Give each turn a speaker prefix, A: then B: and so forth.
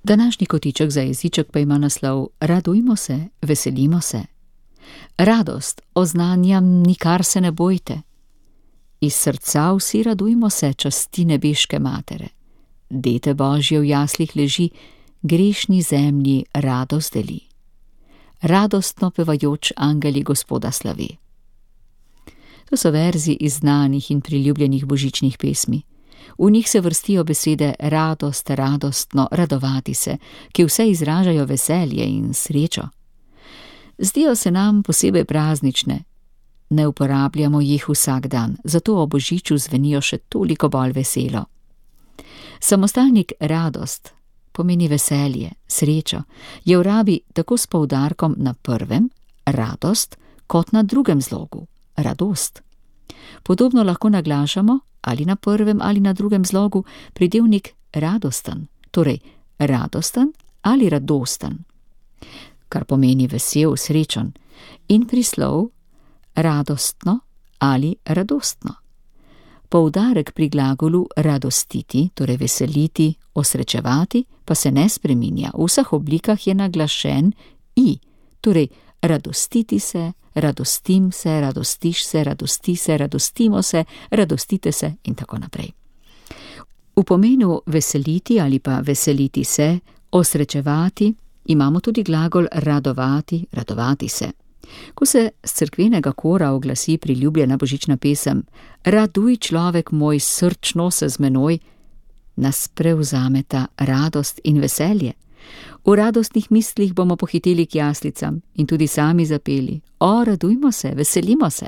A: Današnji kotiček za jeziček pa ima naslov Radujmo se, veselimo se. Radost oznanjam, nikar se ne bojte. Iz srca vsi radujmo se, časti nebeške matere. Dete Božje v jaslih leži, grešni zemlji radost deli. Radostno pevajoč angeli Gospoda slavi. To so verzi iz znanih in priljubljenih božičnih pesmi. V njih se vrstijo besede radost, radostno, radovati se, ki vse izražajo veselje in srečo. Zdijo se nam posebej praznične. Ne uporabljamo jih vsak dan, zato o božiču zvenijo še toliko bolj veselo. Samostalnik radost pomeni veselje, srečo, je v rabi tako s poudarkom na prvem, radost, kot na drugem zlogu, radost. Podobno lahko naglašamo ali na prvem ali na drugem zlogu pridevnik radosten, torej radosten ali radosten, kar pomeni vesel, srečen, in prislov radostno ali radostno. Poudarek pri glagolu radostiti, torej veseliti, osrečevati, pa se ne spreminja. V vseh oblikah je naglašen i, torej radostiti se, radostim se, radostiš se, radosti se, radostimo se, radostite se in tako naprej. V pomenu veseliti ali pa veseliti se, osrečevati, imamo tudi glagol radovati, radovati se. Ko se s cerkvenega kora oglasi priljubljena božična pesem Raduj, človek moj, srčno se z menoj, nas prevzameta radost in veselje. V radostnih mislih bomo pohiteli k jaslicam in tudi sami zapeli: O, radujmo se, veselimo se.